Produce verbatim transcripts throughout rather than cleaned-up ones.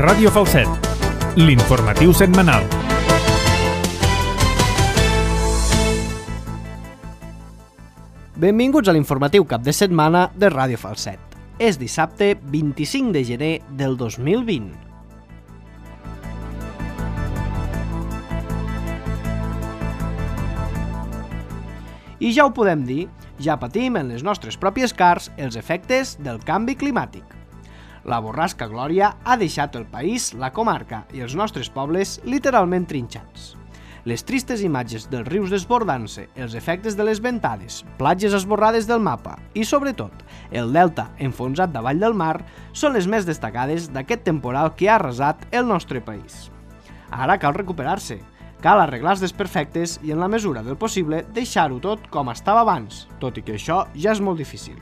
Ràdio Falset, l'informatiu setmanal. Benvinguts a l'informatiu cap de setmana de Ràdio Falset. És dissabte vint-i-cinc de gener del dos mil vint. I ja ho podem dir, ja patim en les nostres pròpies cars els efectes del canvi climàtic. La borrasca Glòria ha deixat el país, la comarca i els nostres pobles literalment trinxats. Les tristes imatges dels rius desbordant-se, els efectes de les ventades, platges esborrades del mapa i, sobretot, el delta enfonsat davall del mar són les més destacades d'aquest temporal que ha arrasat el nostre país. Ara cal recuperar-se. Cal arreglar els desperfectes i, en la mesura del possible, deixar-ho tot com estava abans, tot i que això ja és molt difícil.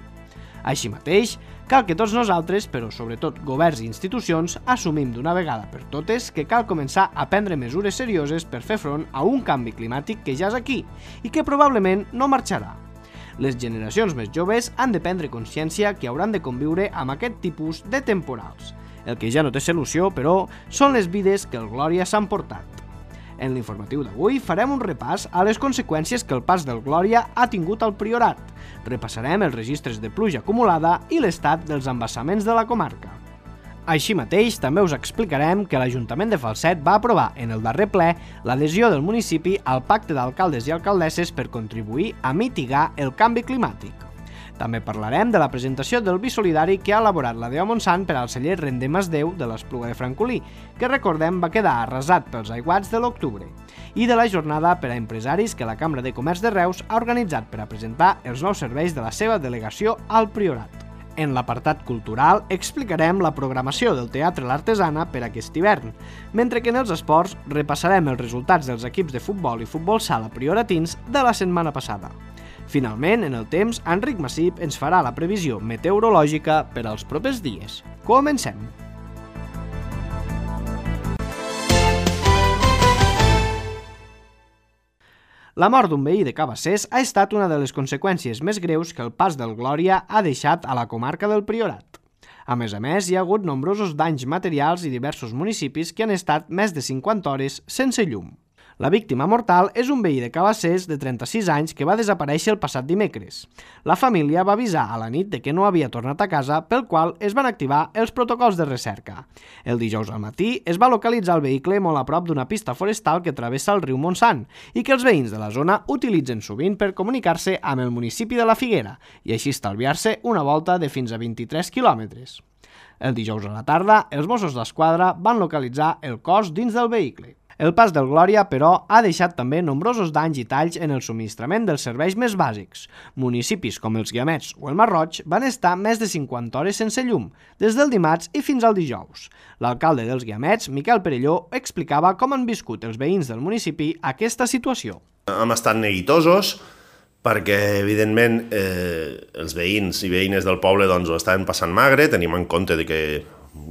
Així mateix, cal que tots nosaltres, però sobretot governs i institucions, assumim d'una vegada per totes que cal començar a prendre mesures serioses per fer front a un canvi climàtic que ja és aquí i que probablement no marxarà. Les generacions més joves han de prendre consciència que hauran de conviure amb aquest tipus de temporals. El que ja no té solució, però, són les vides que el Glòria s'han portat. En l'informatiu d'avui farem un repàs a les conseqüències que el pas del Glòria ha tingut al Priorat. Repassarem els registres de pluja acumulada i l'estat dels embassaments de la comarca. Així mateix, també us explicarem que l'Ajuntament de Falset va aprovar en el darrer ple l'adhesió del municipi al Pacte d'Alcaldes i Alcaldesses per contribuir a mitigar el canvi climàtic. També parlarem de la presentació del vi solidari que ha elaborat la Deu Montsant per al celler Rendemasdeu de l'Espluga de Francolí, que recordem va quedar arrasat pels aiguats de l'octubre, i de la jornada per a empresaris que la Cambra de Comerç de Reus ha organitzat per a presentar els nous serveis de la seva delegació al Priorat. En l'apartat cultural explicarem la programació del Teatre L'Artesana per aquest hivern, mentre que en els esports repassarem els resultats dels equips de futbol i futbol sala prioratins de la setmana passada. Finalment, en el temps, Enric Massip ens farà la previsió meteorològica per als propers dies. Comencem! La mort d'un veí de Cabassers ha estat una de les conseqüències més greus que el pas del Glòria ha deixat a la comarca del Priorat. A més a més, hi ha hagut nombrosos danys materials i diversos municipis que han estat més de cinquanta hores sense llum. La víctima mortal és un veí de Cabassers de trenta-sis anys que va desaparèixer el passat dimecres. La família va avisar a la nit de que no havia tornat a casa, pel qual es van activar els protocols de recerca. El dijous al matí es va localitzar el vehicle molt a prop d'una pista forestal que travessa el riu Montsant i que els veïns de la zona utilitzen sovint per comunicar-se amb el municipi de la Figuera i així estalviar-se una volta de fins a vint-i-tres quilòmetres. El dijous a la tarda, els Mossos d'Esquadra van localitzar el cos dins del vehicle. El pas del Glòria, però, ha deixat també nombrosos danys i talls en el subministrament dels serveis més bàsics. Municipis com els Guiamets o el Masroig van estar més de cinquanta hores sense llum, des del dimarts i fins al dijous. L'alcalde dels Guiamets, Miquel Perelló, explicava com han viscut els veïns del municipi aquesta situació. Hem estat neguitosos perquè, evidentment, eh, els veïns i veïnes del poble doncs, ho estaven passant magre, tenim en compte de que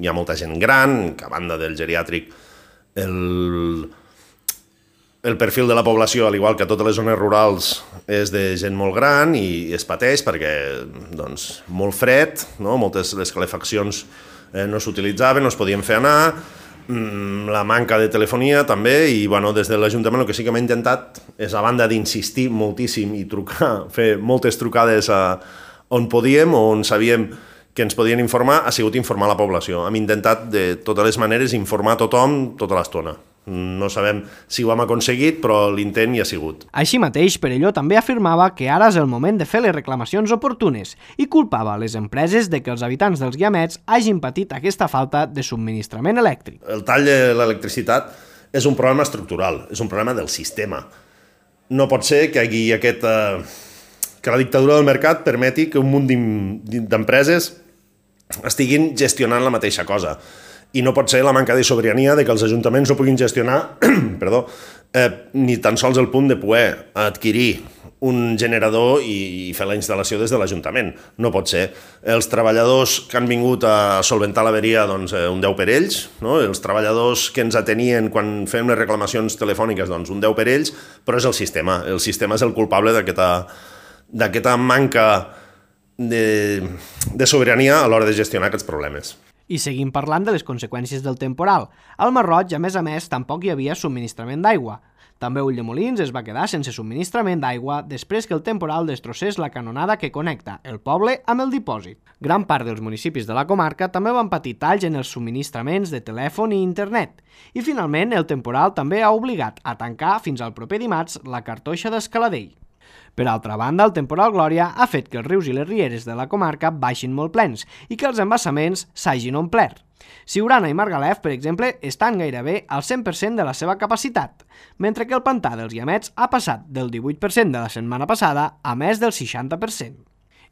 hi ha molta gent gran, que a banda del geriàtric El, el perfil de la població, al igual que a totes les zones rurals, és de gent molt gran i es pateix perquè doncs, molt fred, no? Moltes les calefaccions eh, no s'utilitzaven, no es podien fer anar, mm, la manca de telefonia també, i bueno, des de l'Ajuntament el que sí que hem intentat és, a banda d'insistir moltíssim i trucar, fer moltes trucades a on podíem o on sabíem que ens podien informar, ha sigut informar la població. Hem intentat de totes les maneres informar tothom tota l'estona. No sabem si ho hem aconseguit, però l'intent hi ha sigut. Així mateix, Perelló també afirmava que ara és el moment de fer les reclamacions oportunes i culpava les empreses de que els habitants dels Guiamets hagin patit aquesta falta de subministrament elèctric. El tall de l'electricitat és un problema estructural, és un problema del sistema. No pot ser que hi hagi aquest, eh, que la dictadura del mercat permeti que un munt d'empreses estiguin gestionant la mateixa cosa. I no pot ser la manca de sobirania de que els ajuntaments no puguin gestionar perdó, eh, ni tan sols el punt de poder adquirir un generador i fer la instal·lació des de l'Ajuntament. No pot ser. Els treballadors que han vingut a solventar l'averia, doncs, un deu per ells, no? Els treballadors que ens atenien quan fem les reclamacions telefòniques, doncs, un deu per ells, però és el sistema. El sistema és el culpable d'aquesta d'aquesta manca de, de sobirania a l'hora de gestionar aquests problemes. I seguim parlant de les conseqüències del temporal. Al Mar Roig, a més a més, tampoc hi havia subministrament d'aigua. També Ulldemolins es va quedar sense subministrament d'aigua després que el temporal destrossés la canonada que connecta el poble amb el dipòsit. Gran part dels municipis de la comarca també van patir talls en els subministraments de telèfon i internet. I finalment el temporal també ha obligat a tancar fins al proper dimarts la cartoixa d'Escaladell. Per altra banda, el temporal Glòria ha fet que els rius i les rieres de la comarca baixin molt plens i que els embassaments s'hagin omplert. Siurana i Margalef, per exemple, estan gairebé al cent per cent de la seva capacitat, mentre que el pantà dels Guiamets ha passat del divuit per cent de la setmana passada a més del seixanta per cent.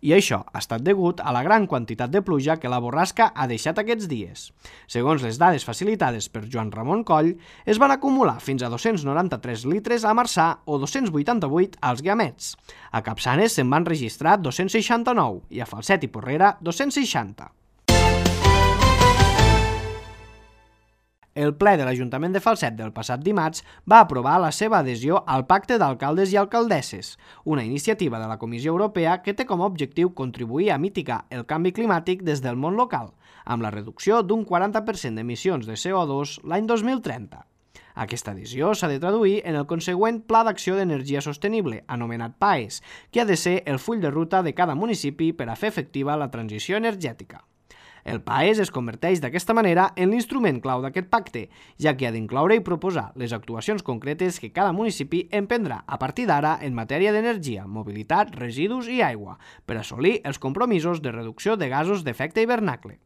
I això ha estat degut a la gran quantitat de pluja que la borrasca ha deixat aquests dies. Segons les dades facilitades per Joan Ramon Coll, es van acumular fins a dos-cents noranta-tres litres a Marçà o dos-cents vuitanta-vuit als Guiamets. A Capçanes se'n van registrar dos-cents seixanta-nou i a Falset i Porrera dos-cents seixanta. El ple de l'Ajuntament de Falset del passat dimarts va aprovar la seva adhesió al Pacte d'Alcaldes i Alcaldesses, una iniciativa de la Comissió Europea que té com a objectiu contribuir a mitigar el canvi climàtic des del món local, amb la reducció d'un quaranta per cent d'emissions de C O dos l'any dos mil trenta. Aquesta adhesió s'ha de traduir en el consegüent Pla d'Acció d'Energia Sostenible, anomenat PAES, que ha de ser el full de ruta de cada municipi per a fer efectiva la transició energètica. El PAES es converteix d'aquesta manera en l'instrument clau d'aquest pacte, ja que ha d'incloure i proposar les actuacions concretes que cada municipi emprendrà a partir d'ara en matèria d'energia, mobilitat, residus i aigua, per assolir els compromisos de reducció de gasos d'efecte hivernacle.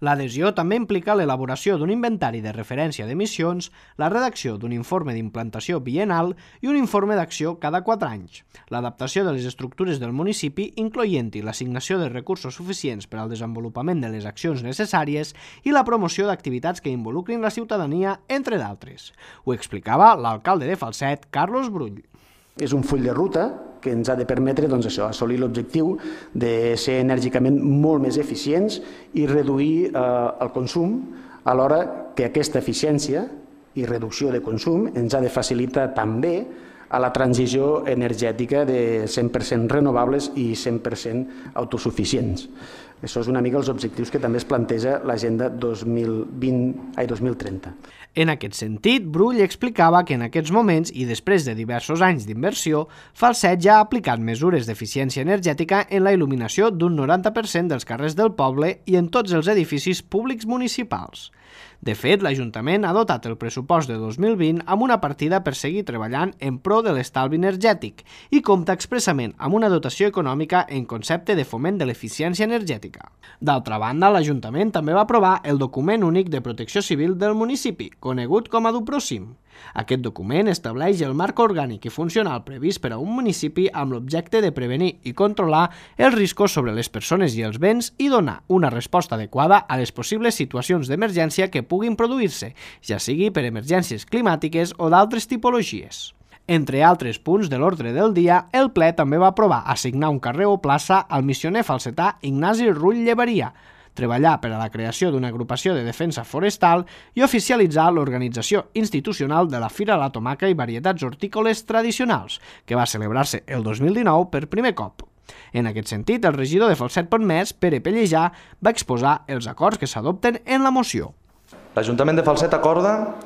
L'adhesió també implica l'elaboració d'un inventari de referència d'emissions, la redacció d'un informe d'implantació biennal i un informe d'acció cada quatre anys, l'adaptació de les estructures del municipi, incloent-hi l'assignació de recursos suficients per al desenvolupament de les accions necessàries i la promoció d'activitats que involucrin la ciutadania, entre d'altres. Ho explicava l'alcalde de Falset, Carlos Brull. És un full de ruta que ens ha de permetre doncs, això, assolir l'objectiu de ser enèrgicament molt més eficients i reduir eh, el consum, alhora que aquesta eficiència i reducció de consum ens ha de facilitar també a la transició energètica de cent per cent renovables i cent per cent autosuficients. Això és una mica els objectius que també es planteja l'Agenda dos mil vint, ai, dos mil trenta. En aquest sentit, Brull explicava que en aquests moments i després de diversos anys d'inversió, Falset ja ha aplicat mesures d'eficiència energètica en la il·luminació d'un noranta per cent dels carrers del poble i en tots els edificis públics municipals. De fet, l'Ajuntament ha dotat el pressupost de dos mil vint amb una partida per seguir treballant en pro de l'estalvi energètic i compta expressament amb una dotació econòmica en concepte de foment de l'eficiència energètica. D'altra banda, l'Ajuntament també va aprovar el document únic de protecció civil del municipi, conegut com a Duprosim. Aquest document estableix el marc orgànic i funcional previst per a un municipi amb l'objecte de prevenir i controlar els riscos sobre les persones i els béns i donar una resposta adequada a les possibles situacions d'emergència que puguin produir-se, ja sigui per emergències climàtiques o d'altres tipologies. Entre altres punts de l'ordre del dia, el ple també va aprovar assignar un carrer o plaça al missioner falsetà Ignasi Rull Llevaria, treballar per a la creació d'una agrupació de defensa forestal i oficialitzar l'organització institucional de la Fira de la Tomaca i Varietats Hortícoles Tradicionals, que va celebrar-se el dos mil dinou per primer cop. En aquest sentit, el regidor de Falset Pontmès, Pere Pellejà, va exposar els acords que s'adopten en la moció. L'Ajuntament de Falset acorda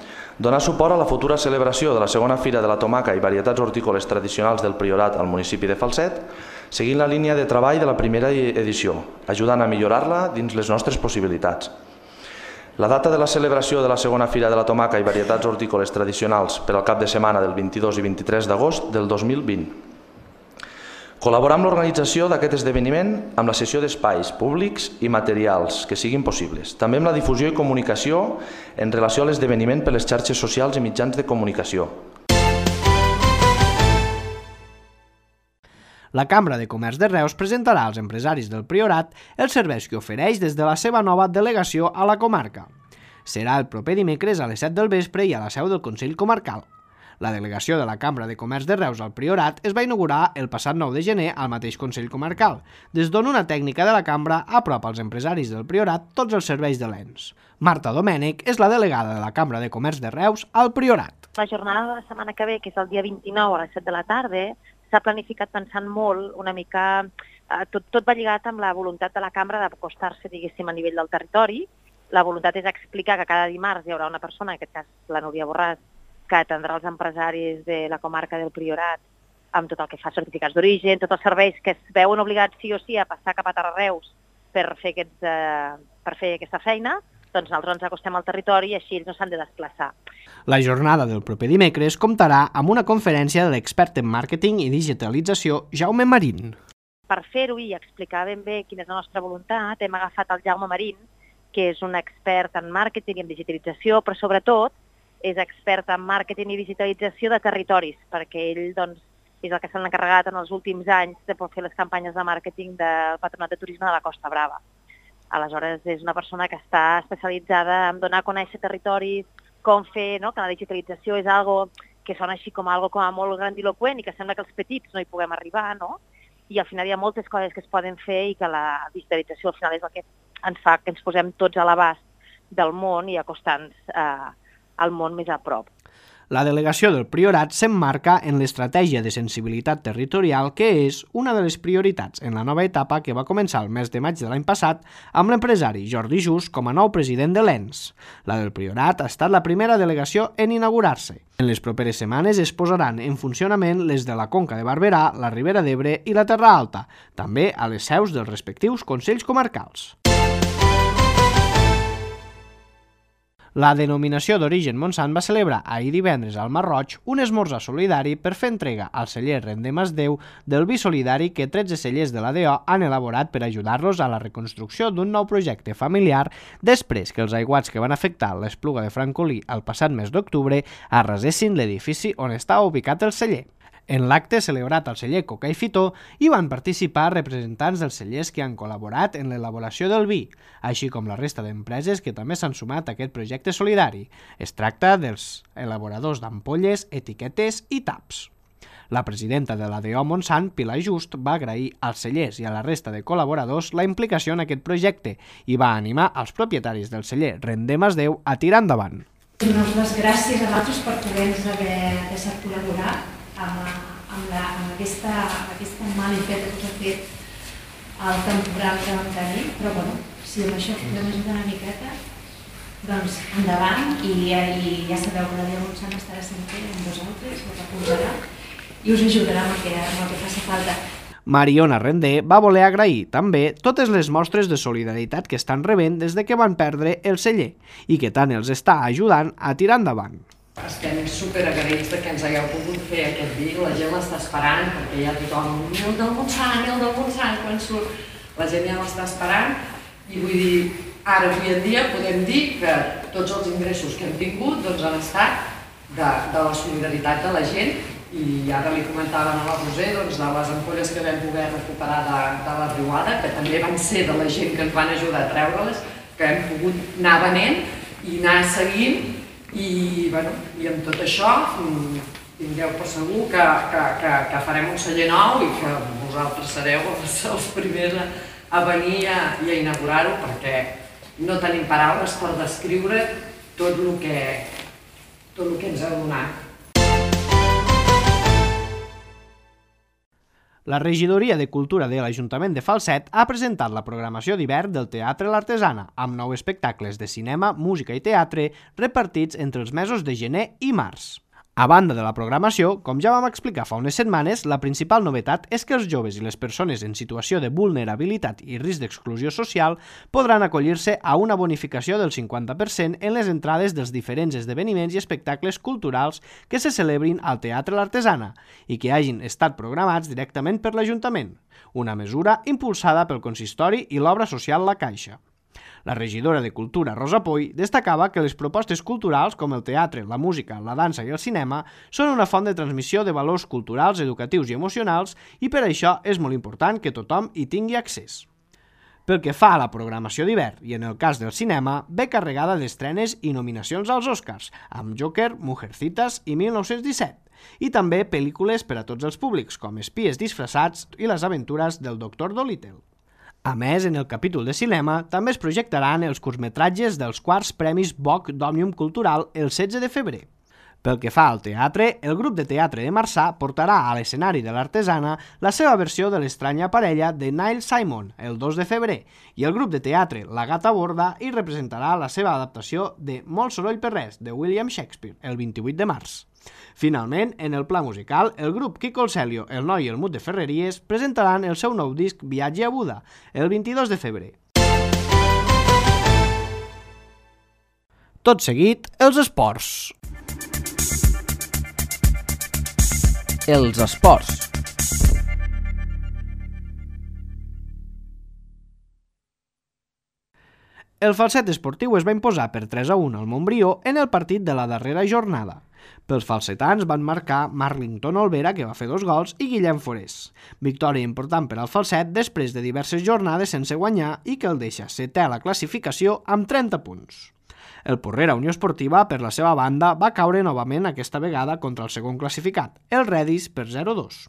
donar suport a la futura celebració de la segona Fira de la Tomaca i Varietats Hortícoles Tradicionals del Priorat al municipi de Falset, seguint la línia de treball de la primera edició, ajudant a millorar-la dins les nostres possibilitats. La data de la celebració de la segona Fira de la Tomaca i Varietats Hortícoles Tradicionals per al cap de setmana del vint-i-dos i vint-i-tres d'agost del dos mil vint. Col·laborar amb l'organització d'aquest esdeveniment amb la cessió d'espais públics i materials que siguin possibles, també amb la difusió i comunicació en relació a l'esdeveniment per les xarxes socials i mitjans de comunicació. La Cambra de Comerç de Reus presentarà als empresaris del Priorat els serveis que ofereix des de la seva nova delegació a la comarca. Serà el proper dimecres a les set del vespre i a la seu del Consell Comarcal. La delegació de la Cambra de Comerç de Reus al Priorat es va inaugurar el passat nou de gener al mateix Consell Comarcal, des d'on una tècnica de la Cambra apropa als empresaris del Priorat tots els serveis de l'ens. Marta Domènech és la delegada de la Cambra de Comerç de Reus al Priorat. La jornada de la setmana que ve, que és el dia vint-i-nou a les set de la tarda, s'ha planificat pensant molt, una mica, eh, tot, tot va lligat amb la voluntat de la Cambra d'acostar-se, diguéssim, a nivell del territori La voluntat és explicar que cada dimarts hi haurà una persona, en aquest cas la Núria Borràs, que atendrà els empresaris de la comarca del Priorat amb tot el que fa certificats d'origen, tots els serveis que es veuen obligats sí o sí a passar cap a Tarrareus per fer, aquests, eh, per fer aquesta feina, doncs nosaltres ens acostem al territori i així ells no s'han de desplaçar. La jornada del proper dimecres comptarà amb una conferència de l'expert en màrqueting i digitalització Jaume Marín. Per fer-ho i explicar ben bé quina és la nostra voluntat, hem agafat el Jaume Marín, que és un expert en màrqueting i en digitalització, però sobretot és expert en màrqueting i digitalització de territoris, perquè ell doncs, és el que s'ha encarregat en els últims anys de fer les campanyes de màrqueting del Patronat de Turisme de la Costa Brava. Aleshores, és una persona que està especialitzada en donar a conèixer territoris, com fer, no? Que la digitalització és algo que sona així com algo com a molt grandiloquent i que sembla que els petits no hi puguem arribar, no? I al final hi ha moltes coses que es poden fer i que la digitalització al final és el que ens fa que ens posem tots a l'abast del món i acostant-nos eh, al món més a prop. La delegació del Priorat s'emmarca en l'estratègia de sensibilitat territorial que és una de les prioritats en la nova etapa que va començar el mes de maig de l'any passat amb l'empresari Jordi Just com a nou president de l'E N S. La del Priorat ha estat la primera delegació en inaugurar-se. En les properes setmanes es posaran en funcionament les de la Conca de Barberà, la Ribera d'Ebre i la Terra Alta, també a les seus dels respectius consells comarcals. La denominació d'origen Montsant va celebrar ahir divendres al Masroig un esmorzar solidari per fer entrega al celler Rendem es Déu del vi solidari que tretze cellers de l'A D O han elaborat per ajudar-los a la reconstrucció d'un nou projecte familiar després que els aiguats que van afectar l'Espluga de Francolí el passat mes d'octubre arrasessin l'edifici on està ubicat el celler. En l'acte celebrat al celler Coca i Fitó hi van participar representants dels cellers que han col·laborat en l'elaboració del vi, així com la resta d'empreses que també s'han sumat a aquest projecte solidari. Es tracta dels elaboradors d'ampolles, etiquetes i taps. La presidenta de l'A D O Montsant, Pilar Just, va agrair als cellers i a la resta de col·laboradors la implicació en aquest projecte i va animar als propietaris del celler Rendem es Déu a tirar endavant. Donar les gràcies a vosaltres per poder-nos haver deixat col·laborar amb, amb, la, amb aquesta, aquesta malifeta que us ha fet el temporal que vam tenir, però bueno, si amb això podem ajudar una miqueta, doncs endavant i, i ja sabeu que la Dia Montsant estarà sempre amb vosaltres, us recolzarà i us ajudarà amb el que, amb el que faci falta. Mariona Rendé va voler agrair també totes les mostres de solidaritat que estan rebent des de que van perdre el celler i que tant els està ajudant a tirar endavant. Estem superagraïts que ens hagueu pogut fer aquest vi, la gent l'està esperant perquè ja tothom, i el del Montsant, i el del Montsant, quan surt, la gent ja l'està esperant i vull dir, ara avui en dia podem dir que tots els ingressos que hem tingut doncs, han estat de, de la solidaritat de la gent i ara li comentaven a la Roser doncs, de les ampolles que vam poder recuperar de, de la riuada, que també van ser de la gent que ens van ajudar a treure-les, que hem pogut anar venent i anar seguint i, bueno, i amb tot això tingueu per segur que, que, que, que farem un celler nou i que vosaltres sereu els, els primers a, a venir a, i a inaugurar-ho perquè no tenim paraules per descriure tot el que, tot el que ens heu donat. La Regidoria de Cultura de l'Ajuntament de Falset ha presentat la programació d'hivern del Teatre L'Artesana, amb nou espectacles de cinema, música i teatre repartits entre els mesos de gener i març. A banda de la programació, com ja vam explicar fa unes setmanes, la principal novetat és que els joves i les persones en situació de vulnerabilitat i risc d'exclusió social podran acollir-se a una bonificació del cinquanta per cent en les entrades dels diferents esdeveniments i espectacles culturals que se celebrin al Teatre L'Artesana i que hagin estat programats directament per l'Ajuntament, una mesura impulsada pel Consistori i l'Obra Social La Caixa. La regidora de Cultura, Rosa Poy, destacava que les propostes culturals com el teatre, la música, la dansa i el cinema són una font de transmissió de valors culturals, educatius i emocionals i per això és molt important que tothom hi tingui accés. Pel que fa a la programació d'hivern i en el cas del cinema, ve carregada d'estrenes i nominacions als Oscars, amb Joker, Mujercitas i mil nou-cents disset, i també pel·lícules per a tots els públics, com Espies disfressats i les aventures del doctor Dolittle. A més, en el capítol de cinema també es projectaran els curtmetratges dels quarts Premis Boc d'Òmnium Cultural el setze de febrer. Pel que fa al teatre, el grup de teatre de Marçà portarà a l'escenari de l'Artesana la seva versió de l'estranya parella de Neil Simon, el dos de febrer, i el grup de teatre La Gata Borda hi representarà la seva adaptació de Molt soroll per res, de William Shakespeare, el vint-i-vuit de març. Finalment, en el pla musical, el grup Quico el Celio, el Noi i el Mut de Ferreries presentaran el seu nou disc Viatge a Buda, el vint-i-dos de febrer. Tot seguit, els esports. Els esports. El Falset Esportiu es va imposar per tres a un al Montbrió en el partit de la darrera jornada. Pels falsetans van marcar Marlington Olvera, que va fer dos gols, i Guillem Forés. Victòria important per al Falset després de diverses jornades sense guanyar i que el deixa setè a la classificació amb trenta punts. El Porrera Unió Esportiva, per la seva banda, va caure novament aquesta vegada contra el segon classificat, el Redis, per zero a dos.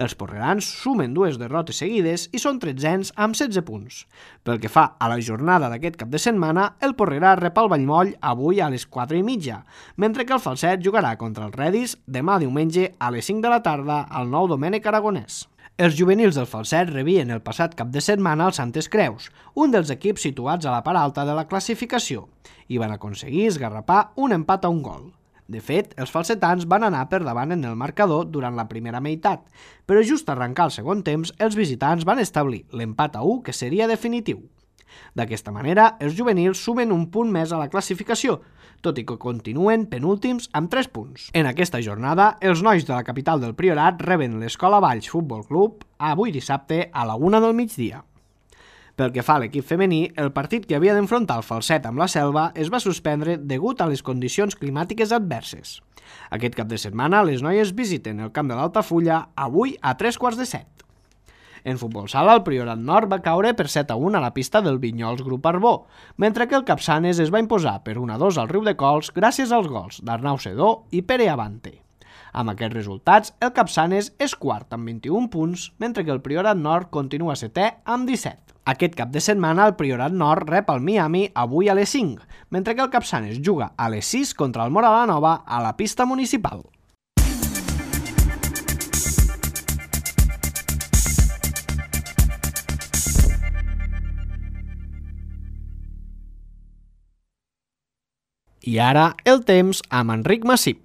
Els porrerans sumen dues derrotes seguides i són tretzens amb setze punts. Pel que fa a la jornada d'aquest cap de setmana, el Porrera rep el Vallmoll avui a les quatre i mitja, mentre que el Falset jugarà contra el Redis demà diumenge a les cinc de la tarda al Nou Domènec Aragonès. Els juvenils del Falset rebien el passat cap de setmana el Santes Creus, un dels equips situats a la part alta de la classificació, i van aconseguir esgarrapar un empat a un gol. De fet, els falsetans van anar per davant en el marcador durant la primera meitat, però just arrencar el segon temps, els visitants van establir l'empat a u que seria definitiu. D'aquesta manera, els juvenils sumen un punt més a la classificació, tot i que continuen penúltims amb tres punts. En aquesta jornada, els nois de la capital del Priorat reben l'Escola Valls Futbol Club avui dissabte a la una del migdia. Pel que fa a l'equip femení, el partit que havia d'enfrontar el Falset amb la Selva es va suspendre degut a les condicions climàtiques adverses. Aquest cap de setmana, les noies visiten el camp de l'Altafulla avui a tres quarts de set. En futbol sala, el Priorat Nord va caure per set a un a la pista del Vinyols Grup Arbó, mentre que el Capçanes es va imposar per un a dos al Riudecols gràcies als gols d'Arnau Sedó i Pere Avante. Amb aquests resultats, el Capçanes és quart amb vint-i-un punts, mentre que el Priorat Nord continua setè amb disset. Aquest cap de setmana, el Priorat Nord rep el Miami avui a les cinc, mentre que el Capçanes juga a les sis contra el Móra la Nova a la pista municipal. I ara, el temps amb Enric Massip.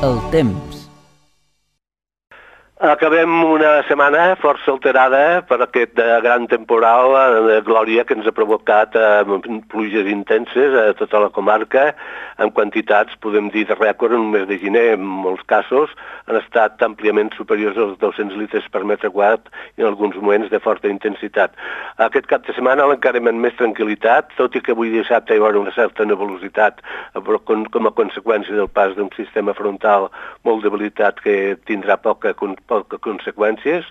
El temps. Acabem una setmana força alterada per aquest gran temporal de glòria que ens ha provocat pluges intenses a tota la comarca, en quantitats, podem dir, de rècord en un mes de gener. En molts casos han estat àmpliament superiors als dos-cents litres per metre quadrat i en alguns moments de forta intensitat. Aquest cap de setmana l'encarem amb més tranquil·litat, tot i que avui dissabte hi haurà una certa nebulositat com a conseqüència del pas d'un sistema frontal molt debilitat que tindrà poca poques conseqüències,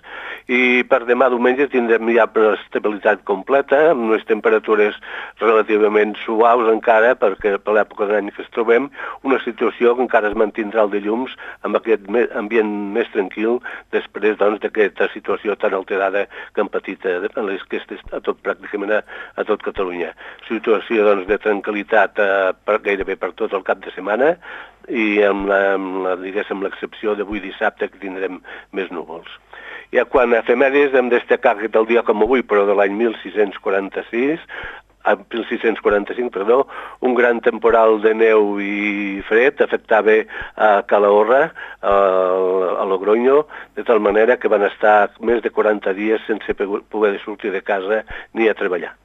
i per demà diumenge tindrem ja una estabilitat completa, amb unes temperatures relativament suaus encara, perquè per l'època de l'any que es trobem, una situació que encara es mantindrà el dilluns amb aquest ambient més tranquil després doncs, d'aquesta situació tan alterada que han patit a, a tot, pràcticament a, a tot Catalunya. Situació doncs, de tranquil·litat eh, per, gairebé per tot el cap de setmana, i amb la, amb la, diguéssim, l'excepció d'avui dissabte que tindrem més núvols. Ja quan a efemèrides hem destacat que el dia com avui, però de l'any mil sis-cents quaranta-sis, mil sis-cents quaranta-cinc, perdó, un gran temporal de neu i fred afectava a Calahorra, a Logroño, de tal manera que van estar més de quaranta dies sense poder sortir de casa ni a treballar.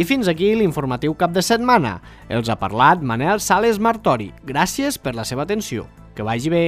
I fins aquí l'informatiu cap de setmana. Els ha parlat Manel Sales Martori. Gràcies per la seva atenció. Que vagi bé.